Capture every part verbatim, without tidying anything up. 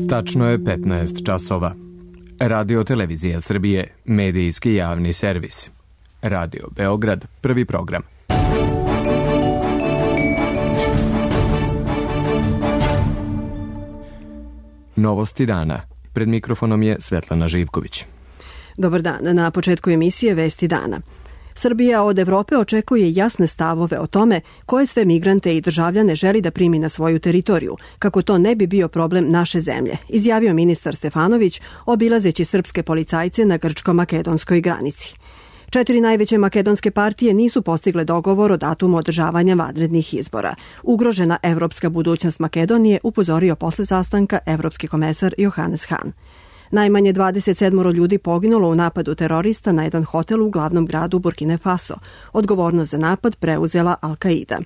Tačno je petnaest časova. Radio Televizija Srbije, medijski javni servis. Radio Beograd, prvi program. Novosti dana. Pred mikrofonom je Svetlana Živković. Dobar dan. Na početku emisije Vesti dana. Srbija od Evrope očekuje jasne stavove o tome koje sve migrante i državljane želi da primi na svoju teritoriju, kako to ne bi bio problem naše zemlje, izjavio ministar Stefanović, obilazeći srpske policajce na grčko-makedonskoj granici. Četiri najveće makedonske partije nisu postigle dogovor o datumu održavanja vanrednih izbora. Ugrožena evropska budućnost Makedonije upozorio posle sastanka evropski komesar Johannes Hahn. Najmanje dvadeset sedam ljudi poginulo u napadu terorista na jedan hotel u glavnom gradu Burkine Faso. Odgovornost za napad preuzela Al-Qaida.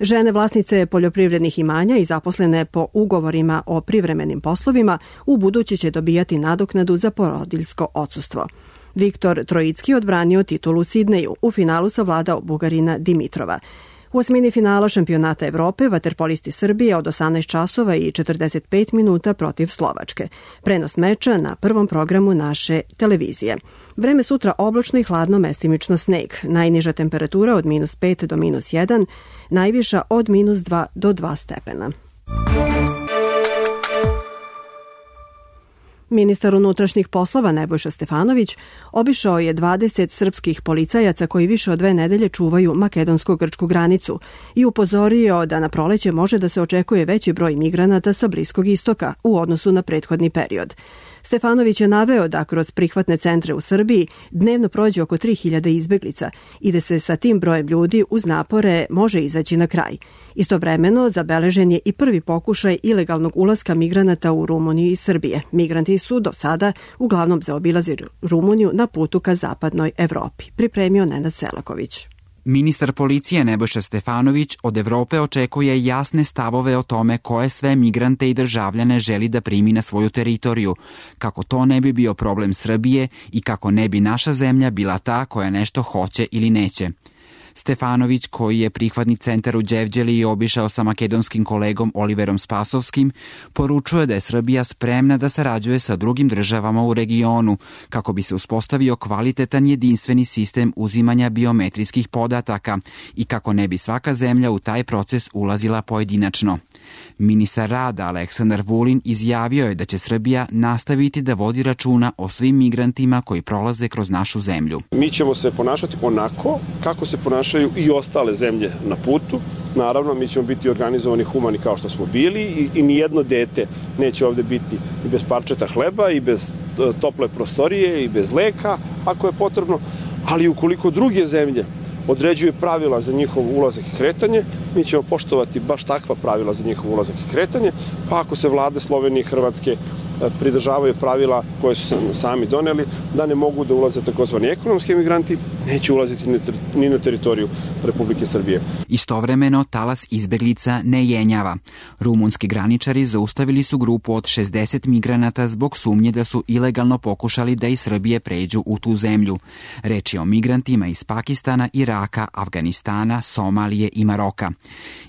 Žene vlasnice poljoprivrednih imanja i zaposlene po ugovorima o privremenim poslovima u budući će dobijati nadoknadu za porodiljsko odsustvo. Viktor Trojicki odbranio titulu u Sidneju, u finalu savladao Bugarina Dimitrova. U osmini finala šampionata Evrope vaterpolisti Srbije od osamnaest časova i četrdeset pet minuta protiv Slovačke. Prenos meča na prvom programu naše televizije. Vreme sutra oblačno i hladno, mestimično sneg. Najniža temperatura od minus pet do minus jedan, najviša od minus dva do dva stepena. Ministar unutrašnjih poslova Nebojša Stefanović obišao je dvadeset srpskih policajaca koji više od dve nedelje čuvaju makedonsko-grčku granicu i upozorio da na proleće može da se očekuje veći broj migranata sa Bliskog istoka u odnosu na prethodni period. Stefanović je naveo da kroz prihvatne centre u Srbiji dnevno prođe oko tri hiljade izbeglica i da se sa tim brojem ljudi uz napore može izaći na kraj. Istovremeno zabeležen je i prvi pokušaj ilegalnog ulaska migranata u Rumuniju i Srbije. Migranti su do sada uglavnom zaobilazili Rumuniju na putu ka zapadnoj Evropi. Pripremio Nenad Selaković. Ministar policije Nebojša Stefanović od Evrope očekuje jasne stavove o tome koje sve migrante i državljane želi da primi na svoju teritoriju, kako to ne bi bio problem Srbije i kako ne bi naša zemlja bila ta koja nešto hoće ili neće. Stefanović, koji je prihvatni centar u Đevđeliji obišao sa makedonskim kolegom Oliverom Spasovskim, poručuje da je Srbija spremna da sarađuje sa drugim državama u regionu kako bi se uspostavio kvalitetan jedinstveni sistem uzimanja biometrijskih podataka i kako ne bi svaka zemlja u taj proces ulazila pojedinačno. Ministar rada Aleksandar Vulin izjavio je da će Srbija nastaviti da vodi računa o svim migrantima koji prolaze kroz našu zemlju. Mi ćemo se ponašati onako kako se ponašaju i ostale zemlje na putu. Naravno, mi ćemo biti organizovani, humani kao što smo bili i, i nijedno dete neće ovde biti i bez parčeta hleba i bez tople prostorije i bez leka ako je potrebno, ali ukoliko druge zemlje određuje pravila za njihov ulazak i kretanje, mi ćemo poštovati baš takva pravila za njihov ulazak i kretanje, pa ako se vlade Slovenije i Hrvatske pridržavaju pravila koje su sami doneli, da ne mogu da ulaze takozvani ekonomski migranti, neće ulaziti ni na teritoriju Republike Srbije. Istovremeno, talas izbeglica ne jenjava. Rumunski graničari zaustavili su grupu od šezdeset migranata zbog sumnje da su ilegalno pokušali da iz Srbije pređu u tu zemlju. Reč je o migrantima iz Pakistana, Iraka, Afganistana, Somalije i Maroka.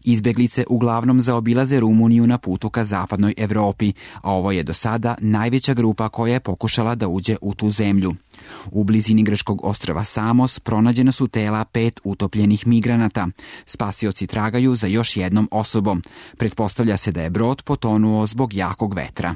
Izbeglice uglavnom zaobilaze Rumuniju na putu ka zapadnoj Evropi, a ovo je do sada najveća grupa koja je pokušala da uđe u tu zemlju. U blizini grčkog ostrva Samos pronađena su tela pet utopljenih migranata. Spasioci tragaju za još jednom osobom. Pretpostavlja se da je brod potonuo zbog jakog vetra.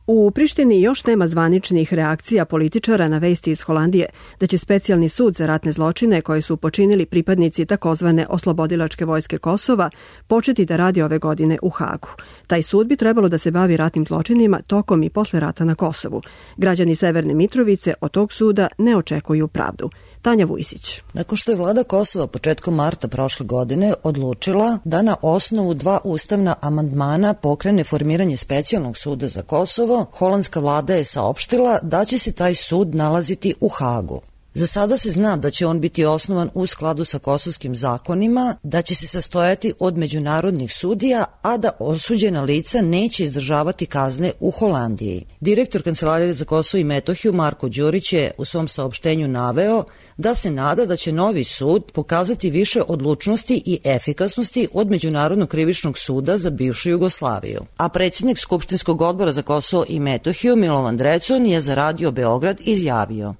U Prištini još nema zvaničnih reakcija političara na vesti iz Holandije da će specijalni sud za ratne zločine koje su počinili pripadnici takozvane oslobodilačke vojske Kosova početi da radi ove godine u Hagu. Taj sud bi trebalo da se bavi ratnim zločinima tokom i posle rata na Kosovu. Građani Severne Mitrovice od tog suda ne očekuju pravdu. Tanja Vujsić. Nakon što je vlada Kosova početkom marta prošle godine odlučila da na osnovu dva ustavna amandmana pokrene formiranje specijalnog suda za Kosovo, holandska vlada je saopštila da će se taj sud nalaziti u Hagu. Za sada se zna da će on biti osnovan u skladu sa kosovskim zakonima, da će se sastojati od međunarodnih sudija, a da osuđena lica neće izdržavati kazne u Holandiji. Direktor Kancelarije za Kosovo i Metohiju Marko Đurić je u svom saopštenju naveo da se nada da će novi sud pokazati više odlučnosti i efikasnosti od Međunarodnog krivičnog suda za bivšu Jugoslaviju. A predsjednik Skupštinskog odbora za Kosovo i Metohiju Milovan Drecun je za Radio Beograd izjavio: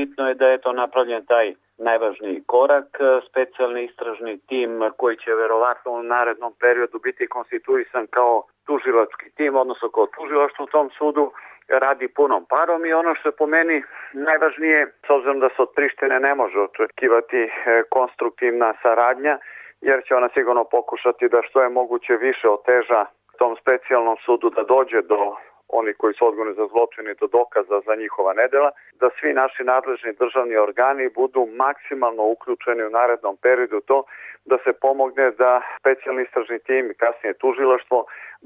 Bitno je da je to napravljen taj najvažniji korak, specijalni istražni tim koji će verovatno u narednom periodu biti konstituisan kao tužilački tim, odnosno kao tužilaštvo u tom sudu, radi punom parom i ono što je po meni najvažnije, s obzirom da se od Prištine ne može očekivati konstruktivna saradnja, jer će ona sigurno pokušati da što je moguće više oteža tom specijalnom sudu da dođe do oni koji su odgovorni za zločine do dokaza za njihova nedela, da svi naši nadležni državni organi budu maksimalno uključeni u narednom periodu to da se pomogne da specijalni istražni tim i kasnije tužilaštvo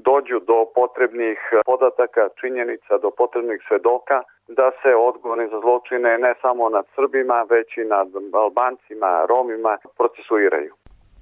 dođu do potrebnih podataka, činjenica, do potrebnih svedoka, da se odgovorni za zločine ne samo nad Srbima, već i nad Albancima, Romima procesuiraju.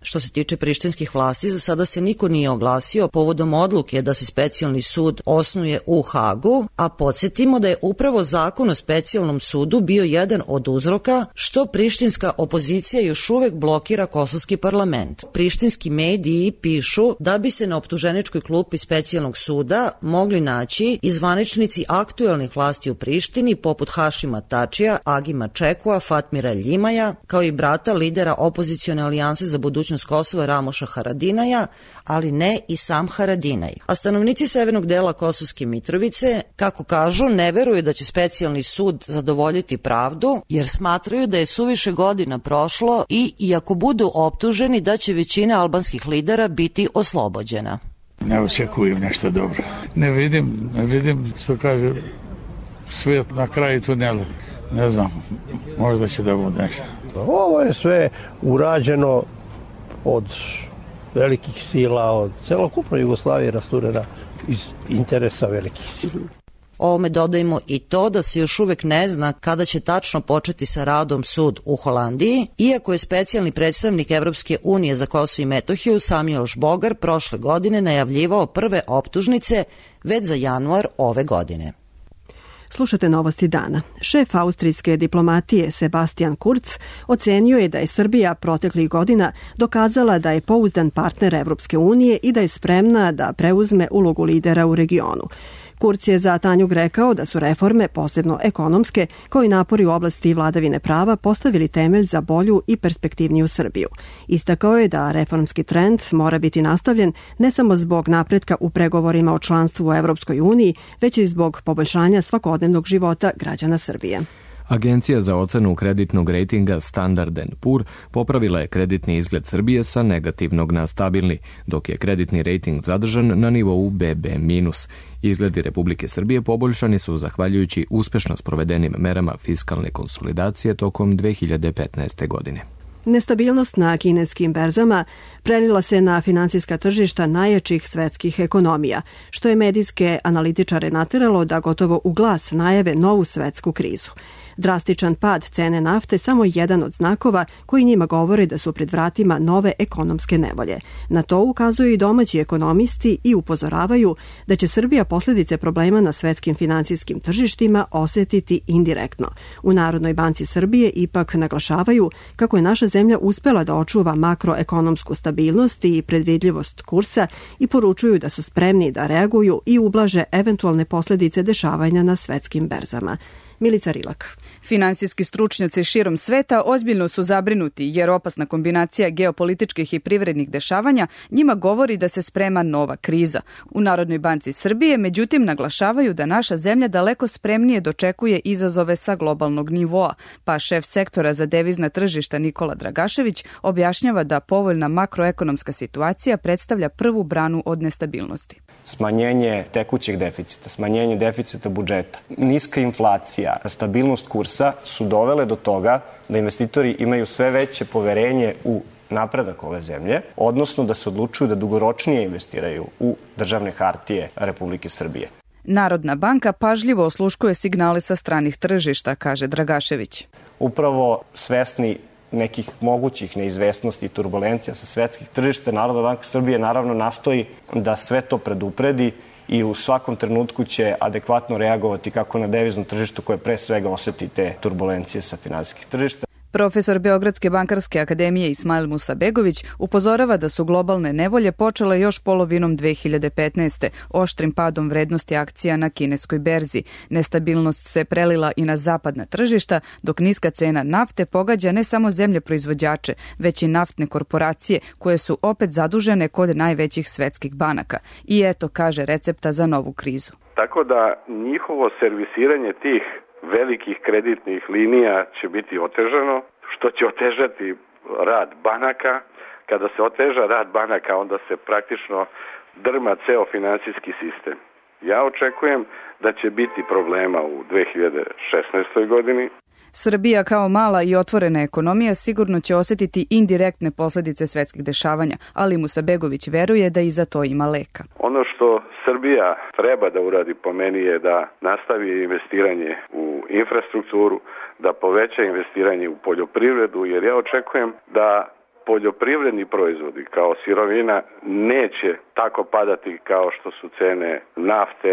Što se tiče prištinskih vlasti, za sada se niko nije oglasio povodom odluke da se specijalni sud osnuje u Hagu, a podsjetimo da je upravo zakon o specijalnom sudu bio jedan od uzroka što prištinska opozicija još uvek blokira kosovski parlament. Prištinski mediji pišu da bi se na optuženičkoj klupi specijalnog suda mogli naći i zvaničnici aktuelnih vlasti u Prištini poput Hašima Tačija, Agima Čekua, Fatmira Ljimaja, kao i brata lidera opozicione alijanse za budućnost Kosova Ramoša Haradinaja, ali ne i sam Haradinaj. A stanovnici severnog dela Kosovske Mitrovice, kako kažu, ne veruju da će specijalni sud zadovoljiti pravdu, jer smatraju da je suviše godina prošlo i, iako budu optuženi, da će većina albanskih lidera biti oslobođena. Ne očekujem nešto dobro. Ne vidim, ne vidim, što kaže, svijet na kraju tunela. Ne znam, možda će da bude nešto. Ovo je sve urađeno od velikih sila, od celokupno Jugoslavije rasturena iz interesa velikih sila. Ovome dodajmo i to da se još uvek ne zna kada će tačno početi sa radom sud u Holandiji, iako je specijalni predstavnik Evropske unije za Kosovo i Metohiju Samuel Žbogar prošle godine najavljivao prve optužnice već za januar ove godine. Slušate Novosti dana. Šef austrijske diplomatije Sebastian Kurz ocenio je da je Srbija proteklih godina dokazala da je pouzdan partner Evropske unije i da je spremna da preuzme ulogu lidera u regionu. Kurz je za Tanjug rekao da su reforme, posebno ekonomske, kao i napori u oblasti vladavine prava, postavili temelj za bolju i perspektivniju Srbiju. Istakao je da reformski trend mora biti nastavljen ne samo zbog napretka u pregovorima o članstvu u Evropskoj uniji, već i zbog poboljšanja svakodnevnog života građana Srbije. Agencija za ocenu kreditnog rejtinga Standard and Poor popravila je kreditni izgled Srbije sa negativnog na stabilni, dok je kreditni rejting zadržan na nivou be be minus. Izgledi Republike Srbije poboljšani su zahvaljujući uspešno sprovedenim merama fiskalne konsolidacije tokom dve hiljade petnaeste. godine. Nestabilnost na kineskim berzama prelila se na finansijska tržišta najjačih svetskih ekonomija, što je medijske analitičare nateralo da gotovo u glas najave novu svetsku krizu. Drastičan pad cene nafte samo jedan od znakova koji njima govore da su pred vratima nove ekonomske nevolje. Na to ukazuju i domaći ekonomisti i upozoravaju da će Srbija posljedice problema na svetskim finansijskim tržištima osjetiti indirektno. U Narodnoj banci Srbije ipak naglašavaju kako je naša zemlja uspela da očuva makroekonomsku stabilnost i predvidljivost kursa i poručuju da su spremni da reaguju i ublaže eventualne posljedice dešavanja na svetskim berzama. Milica Rilak. Finansijski stručnjaci širom sveta ozbiljno su zabrinuti jer opasna kombinacija geopolitičkih i privrednih dešavanja njima govori da se sprema nova kriza. U Narodnoj banci Srbije međutim naglašavaju da naša zemlja daleko spremnije dočekuje izazove sa globalnog nivoa, pa šef sektora za devizna tržišta Nikola Dragašević objašnjava da povoljna makroekonomska situacija predstavlja prvu branu od nestabilnosti. Smanjenje tekućeg deficita, smanjenje deficita budžeta, niska inflacija, stabilnost kursa su dovele do toga da investitori imaju sve veće poverenje u napredak ove zemlje, odnosno da se odlučuju da dugoročnije investiraju u državne hartije Republike Srbije. Narodna banka pažljivo osluškuje signale sa stranih tržišta, kaže Dragašević. upravo svesni nekih mogućih neizvesnosti i turbulencija sa svetskih tržišta. Narodna banka Srbije naravno nastoji da sve to predupredi i u svakom trenutku će adekvatno reagovati kako na deviznom tržištu koje pre svega oseti te turbulencije sa finansijskih tržišta. Profesor Beogradske bankarske akademije Ismail Musabegović upozorava da su globalne nevolje počele još polovinom dve hiljade petnaeste. oštrim padom vrednosti akcija na kineskoj berzi. Nestabilnost se prelila i na zapadna tržišta, dok niska cena nafte pogađa ne samo zemlje proizvođače, već i naftne korporacije koje su opet zadužene kod najvećih svetskih banaka. I eto, kaže, recepta za novu krizu. Tako da njihovo servisiranje tih velikih kreditnih linija će biti otežano, što će otežati rad banaka. Kada se oteža rad banaka, onda se praktično drma ceo finansijski sistem. Ja očekujem da će biti problema u dve hiljade šesnaestoj godini. Srbija kao mala i otvorena ekonomija sigurno će osjetiti indirektne posljedice svetskih dešavanja, ali Musabegović veruje da i za to ima leka. Ono što Srbija treba da uradi po meni je da nastavi investiranje u infrastrukturu, da poveća investiranje u poljoprivredu, jer ja očekujem da poljoprivredni proizvodi kao sirovina neće tako padati kao što su cene nafte,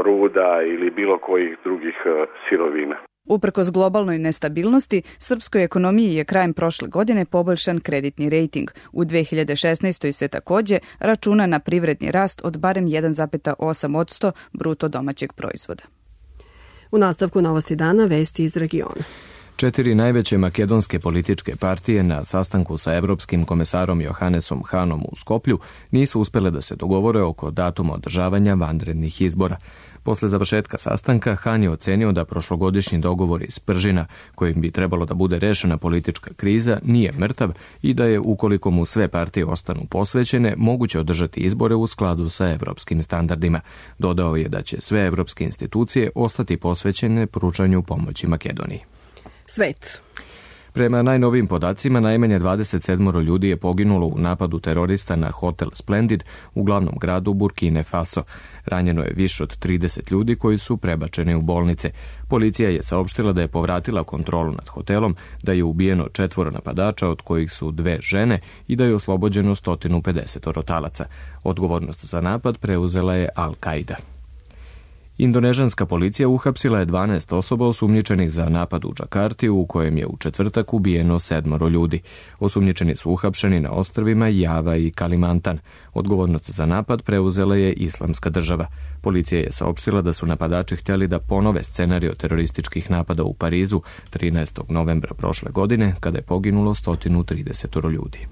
ruda ili bilo kojih drugih sirovina. Uprkos globalnoj nestabilnosti, srpskoj ekonomiji je krajem prošle godine poboljšan kreditni rejting. U dve hiljade šesnaestoj se takođe računa na privredni rast od barem jedan zarez osam posto bruto domaćeg proizvoda. U nastavku Novosti dana vesti iz regiona. Četiri najveće makedonske političke partije na sastanku sa evropskim komesarom Johannesom Hanom u Skoplju nisu uspele da se dogovore oko datuma održavanja vanrednih izbora. Posle završetka sastanka, Han je ocenio da prošlogodišnji dogovor iz Pržina, kojim bi trebalo da bude rešena politička kriza, nije mrtav i da je, ukoliko mu sve partije ostanu posvećene, moguće održati izbore u skladu sa evropskim standardima. Dodao je da će sve evropske institucije ostati posvećene pružanju pomoći Makedoniji. Svet. Prema najnovijim podacima, najmanje dvadeset sedam ljudi je poginulo u napadu terorista na hotel Splendid u glavnom gradu Burkine Faso. Ranjeno je više od trideset ljudi koji su prebačeni u bolnice. Policija je saopštila da je povratila kontrolu nad hotelom, da je ubijeno četvoro napadača, od kojih su dve žene, i da je oslobođeno sto pedeset talaca. Odgovornost za napad preuzela je Al-Qaida. Indonežanska policija uhapsila je dvanaest osoba osumnjičenih za napad u Džakarti, u kojem je u četvrtak ubijeno sedmoro ljudi. Osumnjičeni su uhapšeni na ostrvima Java i Kalimantan. Odgovornost za napad preuzela je Islamska država. Policija je saopštila da su napadači htjeli da ponove scenario terorističkih napada u Parizu trinaestog novembra prošle godine, kada je poginulo sto trideset ljudi.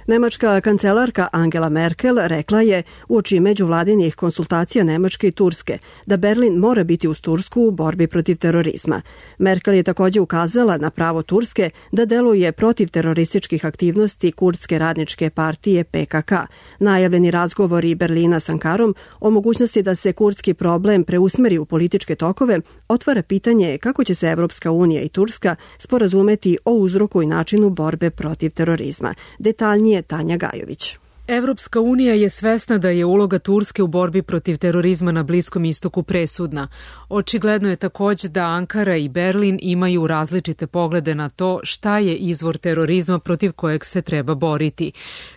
Nemačka kancelarka Angela Merkel rekla je uoči međuvladinih konsultacija Nemačke i Turske da Berlin mora biti uz Tursku u borbi protiv terorizma. Merkel je također ukazala na pravo Turske da deluje protiv terorističkih aktivnosti Kurdske radničke partije P K K. Najavljeni razgovori Berlina s Ankarom o mogućnosti da se kurdski problem preusmeri u političke tokove otvara pitanje kako će se Evropska unija i Turska sporazumeti o uzroku i načinu borbe protiv terorizma. Detaljnije Tanja Gajović. Evropska unija je svesna da je uloga Turske u borbi protiv terorizma na Bliskom istoku presudna. Očigledno je također da Ankara i Berlin imaju različite poglede na to šta je izvor terorizma protiv kojeg se treba boriti.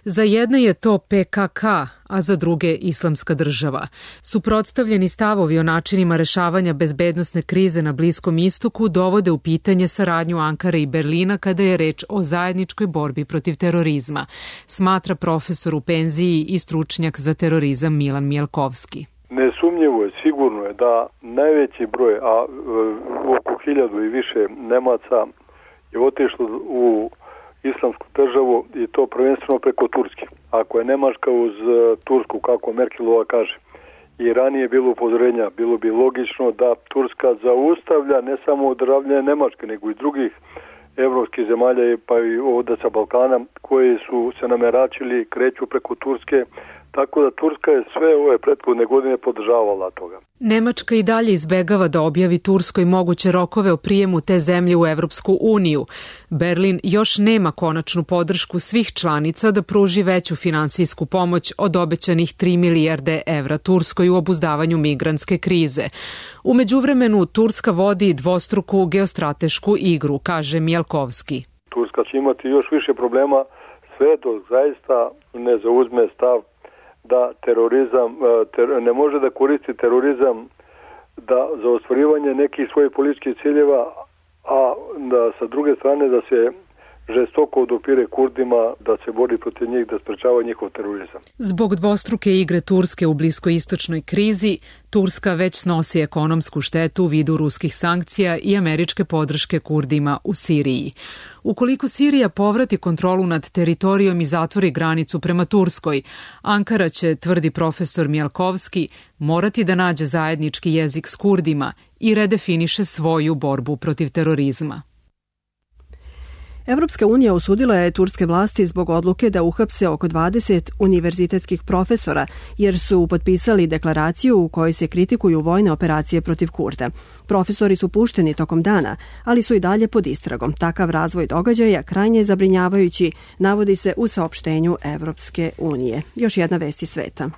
Za jedne je to P K K, a za druge Islamska država. Suprotstavljeni stavovi o načinima rešavanja bezbednosne krize na Bliskom istoku dovode u pitanje saradnju Ankare i Berlina kada je reč o zajedničkoj borbi protiv terorizma, smatra profesor u penziji i stručnjak za terorizam Milan Mijelkovski. Nesumnjivo je, sigurno je da najveći broj, a oko hiljadu i više Nemaca je otišlo u Islamsku državu i to prvenstveno preko Turske. Ako je Nemačka uz Tursku, kako Merkelova kaže, i ranije bilo upozorenja, bilo bi logično da Turska zaustavlja ne samo održavljanje Nemačke, nego i drugih evropskih zemalja, pa i ovdje sa Balkana, koji su se nameračili, kreću preko Turske Tako da Turska je sve ove prethodne godine podržavala toga. Nemačka i dalje izbegava da objavi Turskoj moguće rokove o prijemu te zemlje u Evropsku uniju. Berlin još nema konačnu podršku svih članica da pruži veću finansijsku pomoć od obećanih tri milijarde evra Turskoj u obuzdavanju migrantske krize. U međuvremenu Turska vodi dvostruku geostratešku igru, kaže Mjalkovski. Turska će imati još više problema sve dok zaista ne zauzme stav da terorizam ter, ne može da koristi terorizam da za ostvarivanje nekih svojih političkih ciljeva, a da sa druge strane da se žestoko odupire Kurdima, da se bori protiv njih, da sprečava njihov terorizam. Zbog dvostruke igre Turske u bliskoistočnoj krizi, Turska već snosi ekonomsku štetu u vidu ruskih sankcija i američke podrške Kurdima u Siriji. Ukoliko Sirija povrati kontrolu nad teritorijom i zatvori granicu prema Turskoj, Ankara će, tvrdi profesor Mjalkovski, morati da nađe zajednički jezik s Kurdima i redefiniše svoju borbu protiv terorizma. Evropska unija osudila je turske vlasti zbog odluke da uhapse oko dvadeset univerzitetskih profesora, jer su potpisali deklaraciju u kojoj se kritikuju vojne operacije protiv Kurda. Profesori su pušteni tokom dana, ali su i dalje pod istragom. Takav razvoj događaja krajnje zabrinjavajući, navodi se u saopštenju Evropske unije. Još jedna vest iz sveta.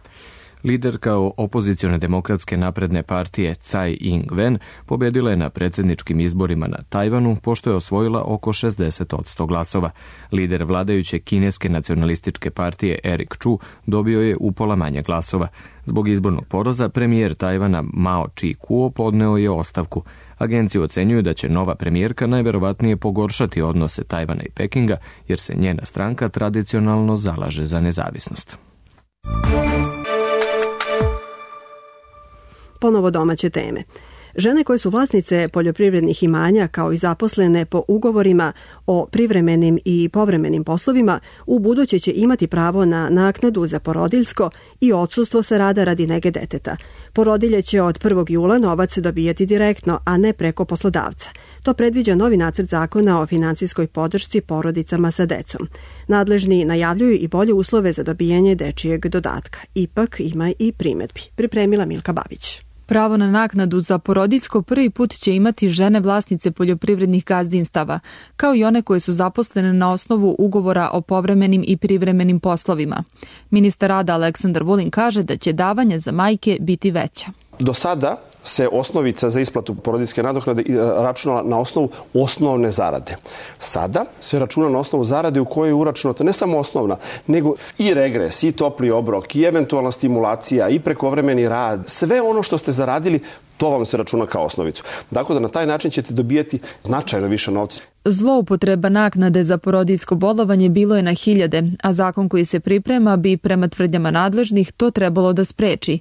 Liderka opozicione demokratske napredne partije Tsai Ing-wen pobedila je na predsjedničkim izborima na Tajvanu pošto je osvojila oko šezdeset posto glasova. Lider vladajuće kineske nacionalističke partije Eric Chu dobio je upola manje glasova. Zbog izbornog poraza premijer Tajvana Mao Chi-kuo podneo je ostavku. Agencije ocenjuju da će nova premijerka najverovatnije pogoršati odnose Tajvana i Pekinga jer se njena stranka tradicionalno zalaže za nezavisnost. Ponovo domaće teme. Žene koje su vlasnice poljoprivrednih imanja kao i zaposlene po ugovorima o privremenim i povremenim poslovima u buduće će imati pravo na naknadu za porodiljsko i odsustvo sa rada radi nege deteta. Porodilje će od prvog jula novac dobijati direktno, a ne preko poslodavca. To predviđa novi nacrt zakona o finansijskoj podršci porodicama sa decom. Nadležni najavljuju i bolje uslove za dobijanje dečijeg dodatka. Ipak ima i primedbi. Pripremila Milka Babić. Pravo na naknadu za porodiljsko prvi put će imati žene vlasnice poljoprivrednih gazdinstava, kao i one koje su zaposlene na osnovu ugovora o povremenim i privremenim poslovima. Ministar rada Aleksandar Vulin kaže da će davanja za majke biti veća. Do sada se osnovica za isplatu porodiljske nadoknade računala na osnovu osnovne zarade. Sada se računa na osnovu zarade u kojoj je uračunata ne samo osnovna, nego i regres, i topli obrok, i eventualna stimulacija, i prekovremeni rad. Sve ono što ste zaradili, to vam se računa kao osnovicu. Dakle, da na taj način ćete dobijati značajno više novca. Zloupotreba naknade za porodiljsko bolovanje bilo je na hiljade, a zakon koji se priprema bi prema tvrdnjama nadležnih to trebalo da spreči.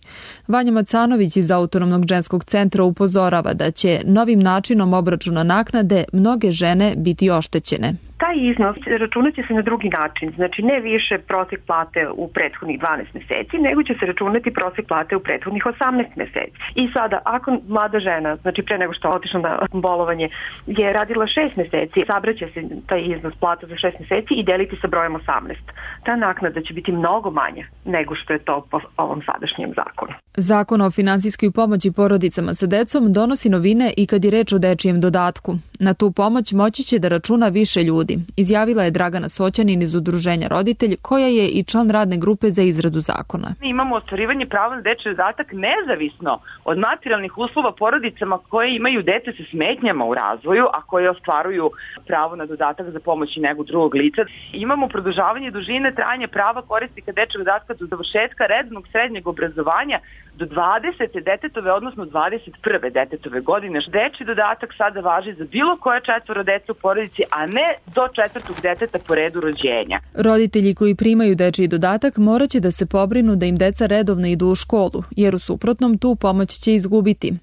Vanja Macanović iz Autonomnog ženskog centra upozorava da će novim načinom obračuna naknade mnoge žene biti oštećene. Taj iznos računat će se na drugi način, znači ne više prosjek plate u prethodnih dvanaest meseci, nego će se računati prosjek plate u prethodnih osamnaest meseci. I sada, ako mlada žena, znači pre nego što je otišla na bolovanje, je radila šest meseci, sabraće se taj iznos plata za šest meseci i deliti sa brojem osamnaest. Ta naknada će biti mnogo manja nego što je to po ovom sadašnjem zakonu. Zakon o finansijskoj pomoći porodicama sa decom donosi novine i kad je reč o dečijem dodatku. Na tu pomoć moći će da računa više ljudi, izjavila je Dragana Soćanin iz Udruženja Roditelj, koja je i član radne grupe za izradu zakona. Mi imamo ostvarivanje prava na dečiji dodatak nezavisno od materijalnih uslova porodicama koje imaju dete sa smetnjama u razvoju, a koje ostvaruju pravo na dodatak za pomoć i negu drugog lica. Imamo produžavanje dužine trajanja prava korisnika dečijeg dodatka do završetka rednog srednjeg obrazovanja do dvadesete detetove, odnosno dvadeset prve detetove godine. Dečiji dodatak sada važi za bilo koje četvoro dece u porodici, a ne do četvrtog deteta po redu rođenja. Roditelji koji primaju dečiji dodatak morat će da se pobrinu da im deca redovno idu u školu, jer u suprotnom tu pomoć će izgubiti.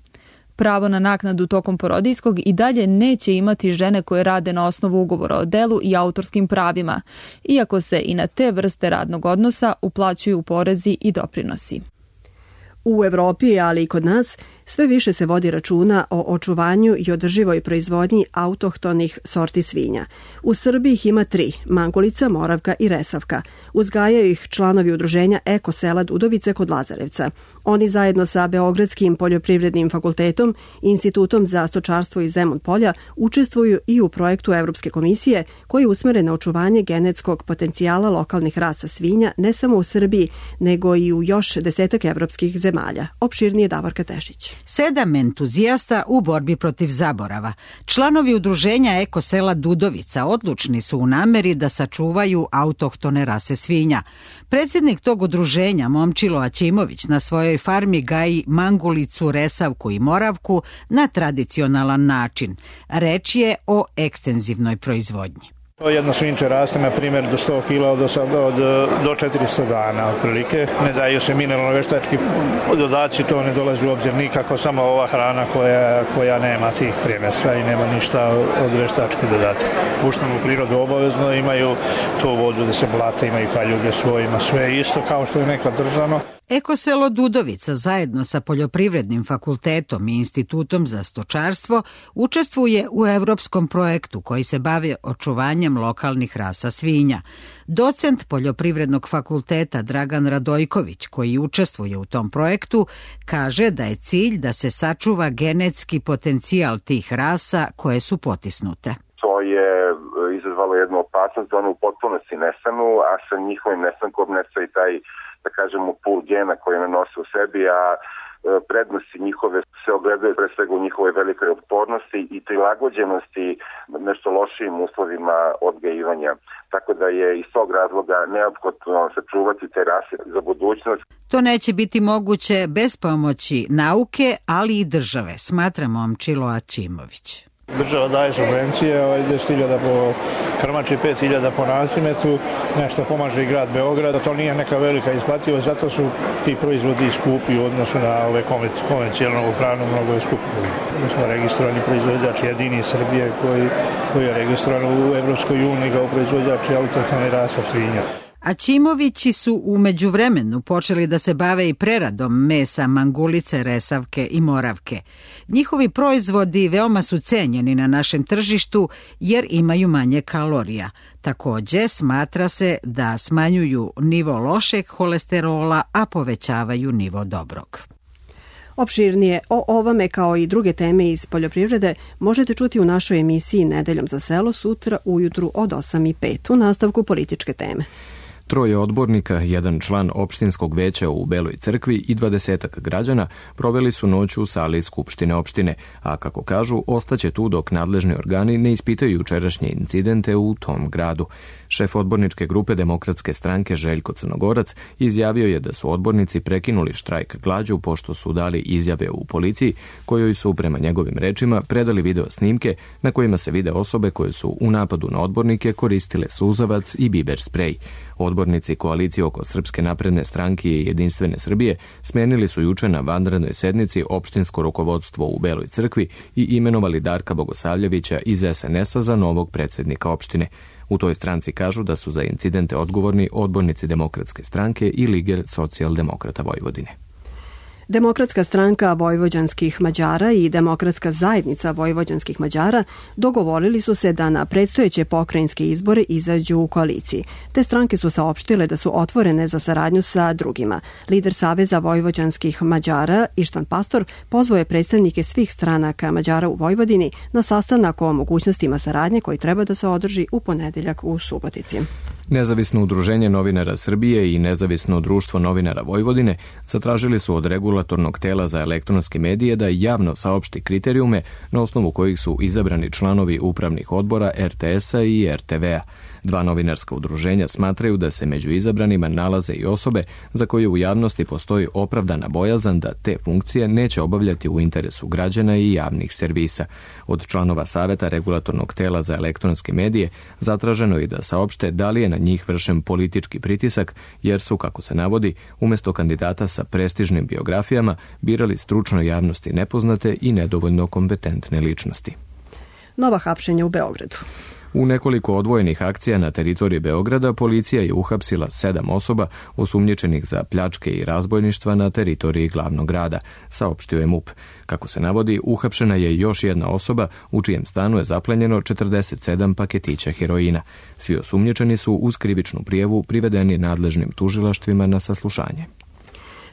Pravo na naknadu tokom porodiljskog i dalje neće imati žene koje rade na osnovu ugovora o delu i autorskim pravima, iako se i na te vrste radnog odnosa uplaćuju porezi i doprinosi. U Evropi, ali i kod nas, Sve više se vodi računa o očuvanju i održivoj proizvodnji autohtonih sorti svinja. U Srbiji ih ima tri, Mangulica, Moravka i Resavka. Uzgajaju ih članovi udruženja Eko sela Dudovice kod Lazarevca. Oni zajedno sa Beogradskim poljoprivrednim fakultetom i Institutom za stočarstvo iz Zemun polja učestvuju i u projektu Evropske komisije koji je usmeren na očuvanje genetskog potencijala lokalnih rasa svinja ne samo u Srbiji, nego i u još desetak evropskih zemalja. Opširnije Davorka Tešić. Sedam entuzijasta u borbi protiv zaborava. Članovi udruženja Eko sela Dudovica odlučni su u nameri da sačuvaju autohtone rase svinja. Predsjednik tog udruženja, Momčilo Aćimović, na svojoj farmi gaji Mangulicu, Resavku i Moravku na tradicionalan način. Reč je o ekstenzivnoj proizvodnji. Jedno svinče raste, na primjer, do sto kila od, od, do četiristo dana, otprilike. Ne daju se mineralno-veštački dodaci, to ne dolazi u obzir nikako, samo ova hrana koja, koja nema tih primesa i nema ništa od veštačkih dodataka. Puštamo u prirodu obavezno, imaju tu vodu da se blate, imaju kaljuge svojima, sve isto kao što je nekad držano. Eko selo Dudovica zajedno sa Poljoprivrednim fakultetom i Institutom za stočarstvo učestvuje u evropskom projektu koji se bavi očuvanjem lokalnih rasa svinja. Docent Poljoprivrednog fakulteta Dragan Radojković, koji učestvuje u tom projektu, kaže da je cilj da se sačuva genetski potencijal tih rasa koje su potisnute. To je izazvalo jednu opasnost da ono u potpunosti nestanu, a sa njihovim nestankom nestaje i taj, da kažemo, pul gena koji one nose u sebi, a prednosti njihove se ogledaju pre svega u njihovoj velikoj otpornosti i prilagođenosti nešto lošijim uslovima odgajivanja. Tako da je iz tog razloga neophodno sačuvati te rase za budućnost. To neće biti moguće bez pomoći nauke, ali i države, smatra Momčilo Aćimović. Država daje subvencije, deset hiljada po krmači, pet hiljada po nasimetu, nešto pomaže i grad Beograd, to nije neka velika isplativost, zato su ti proizvodi skupi u odnosu na ove konvencionalnu hranu, mnogo je skupi. Mi smo registrovani proizvođač jedini iz Srbije koji, koji je registrovan u Evropskoj uniji kao proizvođač autohtone rasa svinja. Aćimovići su u međuvremenu počeli da se bave i preradom mesa Mangulice, Resavke i Moravke. Njihovi proizvodi veoma su cenjeni na našem tržištu jer imaju manje kalorija. Takođe, smatra se da smanjuju nivo lošeg holesterola, a povećavaju nivo dobrog. Opširnije o ovome kao i druge teme iz poljoprivrede možete čuti u našoj emisiji Nedeljom za selo sutra ujutru od osam i pet u nastavku političke teme. Troje odbornika, jedan član opštinskog veća u Beloj crkvi i dvadesetak građana proveli su noć u sali Skupštine opštine, a kako kažu, ostaće tu dok nadležni organi ne ispitaju jučerašnje incidente u tom gradu. Šef odborničke grupe Demokratske stranke Željko Crnogorac izjavio je da su odbornici prekinuli štrajk glađu pošto su dali izjave u policiji, kojoj su, prema njegovim rečima, predali video snimke na kojima se vide osobe koje su u napadu na odbornike koristile suzavac i biber sprej. Odbornici koalicije oko Srpske napredne stranke i Jedinstvene Srbije smenili su juče na vanrednoj sednici opštinsko rukovodstvo u Beloj crkvi i imenovali Darka Bogosavljevića iz es en es a za novog predsjednika opštine. U toj stranci kažu da su za incidente odgovorni odbornici Demokratske stranke i Lige socijaldemokrata Vojvodine. Demokratska stranka vojvođanskih Mađara i Demokratska zajednica vojvođanskih Mađara dogovorili su se da na predstojeće pokrajinske izbore izađu u koaliciji. Te stranke su saopštile da su otvorene za saradnju sa drugima. Lider Saveza vojvođanskih Mađara, Ištan Pastor, pozvao je predstavnike svih stranaka Mađara u Vojvodini na sastanak o mogućnostima saradnje koji treba da se održi u ponedeljak u Subotici. Nezavisno udruženje novinara Srbije i Nezavisno društvo novinara Vojvodine zatražili su od regulatornog tela za elektronske medije da javno saopšti kriterijume na osnovu kojih su izabrani članovi upravnih odbora er te es a i er te ve a. Dva novinarska udruženja smatraju da se među izabranima nalaze i osobe za koje u javnosti postoji opravdana bojazan da te funkcije neće obavljati u interesu građana i javnih servisa. Od članova Saveta regulatornog tela za elektronske medije zatraženo je da saopšte da li je na njih vršen politički pritisak, jer su, kako se navodi, umjesto kandidata sa prestižnim biografijama birali stručno javnosti nepoznate i nedovoljno kompetentne ličnosti. Nova hapšenja u Beogradu. U nekoliko odvojenih akcija na teritoriji Beograda policija je uhapsila sedam osoba osumnjičenih za pljačke i razbojništva na teritoriji glavnog grada, saopštio je M U P. Kako se navodi, uhapšena je još jedna osoba u čijem stanu je zaplenjeno četrdeset sedam paketića heroina. Svi osumnjičeni su uz krivičnu prijavu privedeni nadležnim tužilaštvima na saslušanje.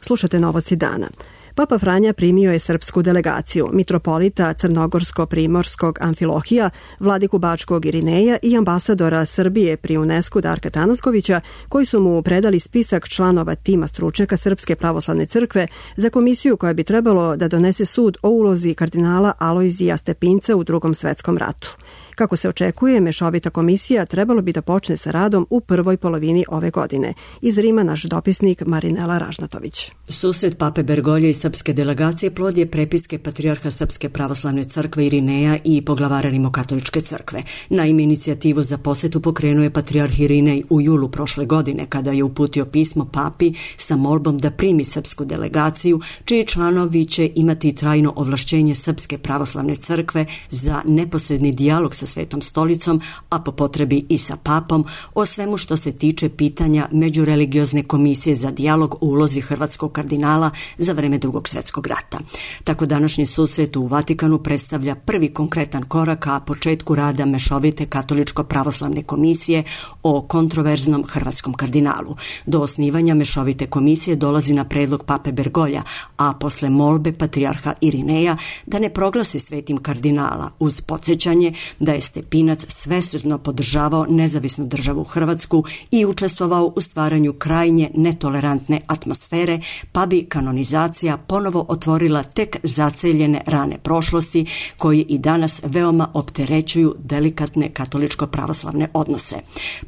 Slušate novosti dana. Papa Franja primio je srpsku delegaciju, mitropolita Crnogorsko-Primorskog Amfilohija, vladiku Bačkog Irineja i ambasadora Srbije pri UNESCO Darka Tanaskovića, koji su mu predali spisak članova tima stručnjaka Srpske pravoslavne crkve za komisiju koja bi trebalo da donese sud o ulozi kardinala Alojzija Stepinca u Drugom svetskom ratu. Kako se očekuje, mešovita komisija trebalo bi da počne sa radom u prvoj polovini ove godine. Iz Rima naš dopisnik Marinela Ražnatović. Susret pape Bergolje i srpske delegacije plod je prepiske patrijarha Srpske pravoslavne crkve Irineja i poglavara Rimokatoličke crkve. Naime, inicijativu za posetu pokrenuo je patrijarh Irinej u julu prošle godine, kada je uputio pismo papi sa molbom da primi srpsku delegaciju, čiji članovi će imati trajno ovlašćenje Srpske pravoslavne crkve za neposredni dijalog sa Svetom stolicom, a po potrebi i sa papom, o svemu što se tiče pitanja Međureligiozne komisije za dijalog u ulozi hrvatskog kardinala za vreme Drugog svjetskog rata. Tako današnji susret u Vatikanu predstavlja prvi konkretan korak ka početku rada mešovite katoličko-pravoslavne komisije o kontroverznom hrvatskom kardinalu. Do osnivanja mešovite komisije dolazi na predlog pape Bergolja, a posle molbe patrijarha Irineja da ne proglasi svetim kardinala, uz podsjećanje da je Stepinac svesrdno podržavao nezavisnu državu Hrvatsku i učestvovao u stvaranju krajnje netolerantne atmosfere, pa bi kanonizacija ponovo otvorila tek zaceljene rane prošlosti koji i danas veoma opterećuju delikatne katoličko-pravoslavne odnose.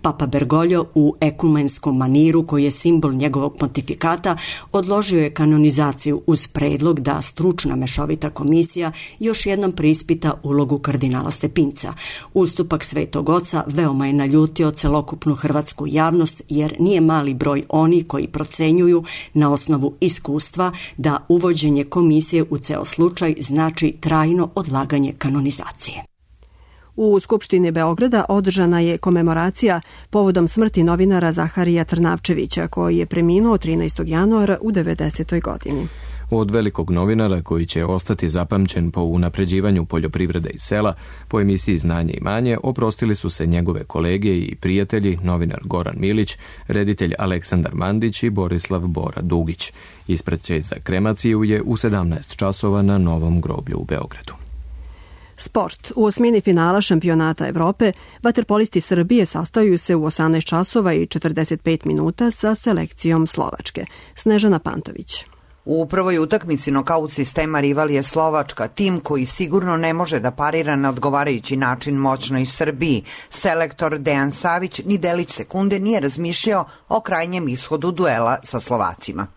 Papa Bergoglio u ekumenskom maniru, koji je simbol njegovog pontifikata, odložio je kanonizaciju uz predlog da stručna mešovita komisija još jednom preispita ulogu kardinala Stepinca. Ustupak Svetog Oca veoma je naljutio celokupnu hrvatsku javnost, jer nije mali broj oni koji procenjuju na osnovu iskustva da uvođenje komisije u ceo slučaj znači trajno odlaganje kanonizacije. U Skupštini Beograda održana je komemoracija povodom smrti novinara Zaharija Trnavčevića, koji je preminuo trinaestog januara u devedesetoj godini. Od velikog novinara koji će ostati zapamćen po unapređivanju poljoprivrede i sela, po emisiji Znanje i manje, oprostili su se njegove kolege i prijatelji, novinar Goran Milić, reditelj Aleksandar Mandić i Borislav Bora Dugić. Ispraćaj za kremaciju je u sedamnaest časova na Novom groblju u Beogradu. Sport. U osmini finala šampionata Evrope vaterpolisti Srbije sastaju se u osamnaest časova i četrdeset pet minuta sa selekcijom Slovačke. Snežana Pantović. U prvoj utakmici nokaut sistema rival je Slovačka, tim koji sigurno ne može da parira na odgovarajući način moćnoj Srbiji. Selektor Dejan Savić ni delić sekunde nije razmišljao o krajnjem ishodu duela sa Slovacima.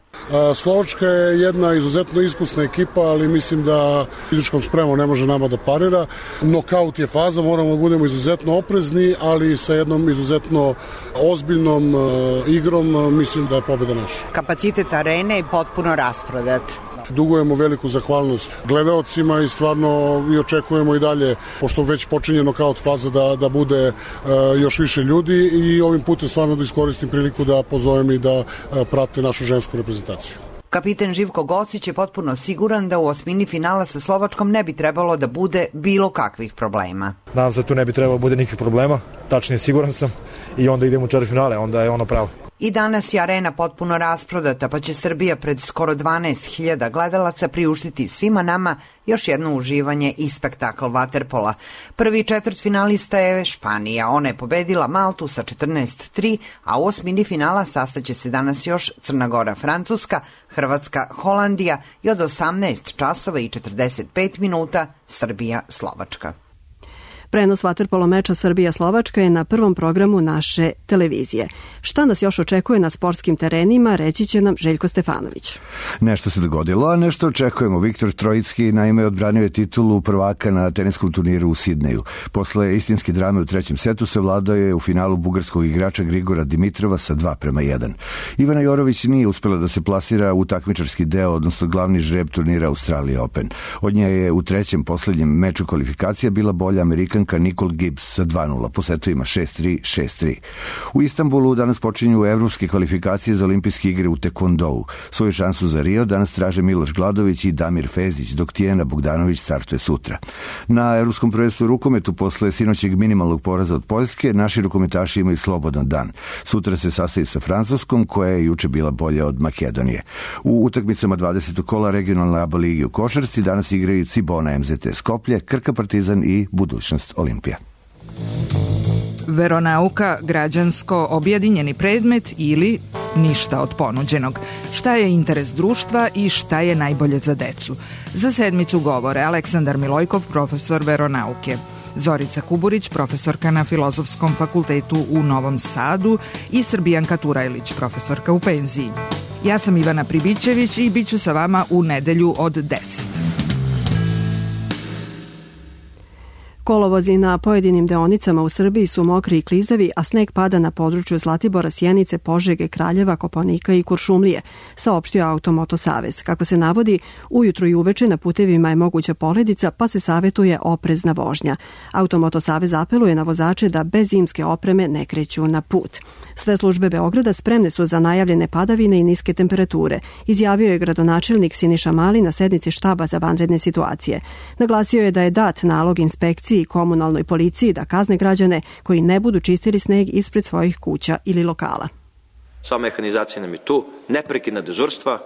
Slovačka je jedna izuzetno iskusna ekipa, ali mislim da fizičkom spremom ne može nama da parira. Nokaut je faza, moramo da budemo izuzetno oprezni, ali sa jednom izuzetno ozbiljnom igrom mislim da je pobjeda naša. Kapacitet arene je potpuno rasprodat. Dugujemo veliku zahvalnost gledaocima i stvarno i očekujemo i dalje, pošto već počinje nokaut faza, da, da bude uh, još više ljudi i ovim putem stvarno da iskoristim priliku da pozovem i da uh, prate našu žensku reprezentaciju. Kapiten Živko Gocić je potpuno siguran da u osmini finala sa Slovačkom ne bi trebalo da bude bilo kakvih problema. Nadam se da tu ne bi trebalo da bude nikakvih problema, tačnije siguran sam, i onda idemo u četvrtfinale, onda je ono pravo. I danas je arena potpuno rasprodata, pa će Srbija pred skoro dvanaest hiljada gledalaca priuštiti svima nama još jedno uživanje i spektakl vaterpola. Prvi četvrtfinalista je Španija. Ona je pobedila Maltu sa četrnaest tri, a u osmini finala sastaće se danas još Crna Gora Francuska, Hrvatska Holandija i od osamnaest časova i četrdeset pet minuta Srbija Slovačka. Prenos vaterpolo meča Srbija-Slovačka je na prvom programu naše televizije. Šta nas još očekuje na sportskim terenima, reći će nam Željko Stefanović. Nešto se dogodilo, a nešto očekujemo. Viktor Trojicki naime odbranio je titulu prvaka na teniskom turniru u Sidneju. Posle istinske drame u trećem setu savladao je u finalu bugarskog igrača Grigora Dimitrova sa dva prema jedan. Ivana Jorović nije uspela da se plasira u takmičarski deo, odnosno glavni žreb turnira Australija Open. Od nje je u trećem poslednjem meču kvalifikacija bila bolja Amerikanka Amerikanka Nicole Gibbs sa dva nula po setovima šest tri šest tri. U Istanbulu danas počinju evropske kvalifikacije za olimpijske igre u tekvondou. Svoju šansu za Rio danas traže Miloš Gladović i Damir Fezić, dok Tijena Bogdanović startuje sutra. Na evropskom prvenstvu u rukometu posle sinoćeg minimalnog poraza od Poljske, naši rukometaši imaju slobodan dan. Sutra se sastavi sa Francuskom, koja je juče bila bolja od Makedonije. U utakmicama dvadesetog kola regionalne A B A ligi u košarci danas igraju Cibona M Z T Skoplje, Krka Partizan i Budućnost Olimpija. Veronauka, građansko, objedinjeni predmet ili ništa od ponuđenog. Šta je interes društva i šta je najbolje za decu? Za sedmicu govore Aleksandar Milojkov, profesor veronauke, Zorica Kuburić, profesorka na Filozofskom fakultetu u Novom Sadu i Srbijanka Turajlić, profesorka u penziji. Ja sam Ivana Pribićević i bit ću sa vama u nedelju od deset. Kolovozi na pojedinim deonicama u Srbiji su mokri i klizavi, a sneg pada na području Zlatibora, Sjenice, Požege, Kraljeva, Kopaonika i Kuršumlije, saopštio Automoto Savez. Kako se navodi, ujutro i uveče na putevima je moguća poledica, pa se savetuje oprezna vožnja. Automoto Savez apeluje na vozače da bez zimske opreme ne kreću na put. Sve službe Beograda spremne su za najavljene padavine i niske temperature, izjavio je gradonačelnik Siniša Mali na sednici štaba za vanredne situacije. Naglasio je da je dat nalog inspekciji i komunalnoj policiji da kazne građane koji ne budu čistili sneg ispred svojih kuća ili lokala. Sva mehanizacija nam je tu, neprekidna dežurstva,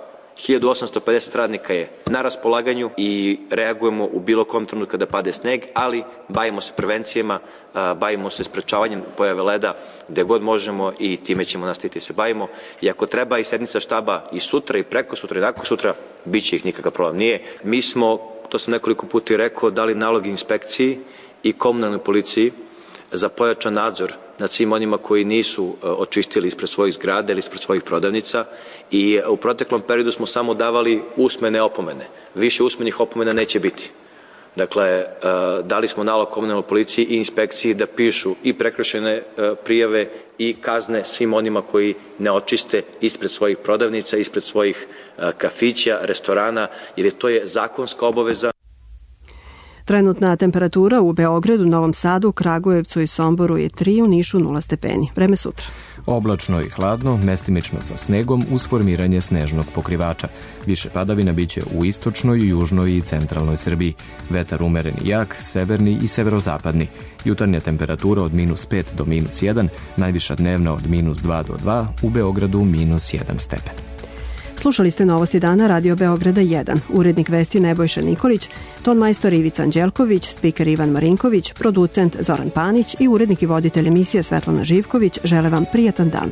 hiljadu osamsto pedeset radnika je na raspolaganju i reagujemo u bilo kom trenutku kada pade sneg, ali bavimo se prevencijama, bavimo se sprečavanjem pojave leda gde god možemo i time ćemo nastaviti se bavimo. I ako treba i sednica štaba i sutra i preko sutra i nakon sutra, bit će ih nikakav problem. Nije. Mi smo, to sam nekoliko puta i rekao, dali nalog inspekciji i komunalnoj policiji za pojačan nadzor nad svim onima koji nisu očistili ispred svojih zgrada ili ispred svojih prodavnica i u proteklom periodu smo samo davali usmene opomene. Više usmenih opomena neće biti. Dakle, dali smo nalog komunalnoj policiji i inspekciji da pišu i prekršajne prijave i kazne svim onima koji ne očiste ispred svojih prodavnica, ispred svojih kafića, restorana, jer to je zakonska obaveza. Trenutna temperatura u Beogradu, Novom Sadu, Kragujevcu i Somboru je tri, u Nišu nula stepeni. Vreme sutra. Oblačno i hladno, mestimično sa snegom uz formiranje snežnog pokrivača. Više padavina biće u istočnoj, južnoj i centralnoj Srbiji. Vetar umeren i jak, severni i severozapadni. Jutarnja temperatura od minus pet do minus jedan, najviša dnevna od minus dva do dva, u Beogradu minus jedan stepen. Slušali ste Novosti dana Radio Beograda jedan. Urednik vesti Nebojša Nikolić, ton majstor Ivica Anđelković, spiker Ivan Marinković, producent Zoran Panić i urednik i voditelj emisije Svetlana Živković žele vam prijatan dan.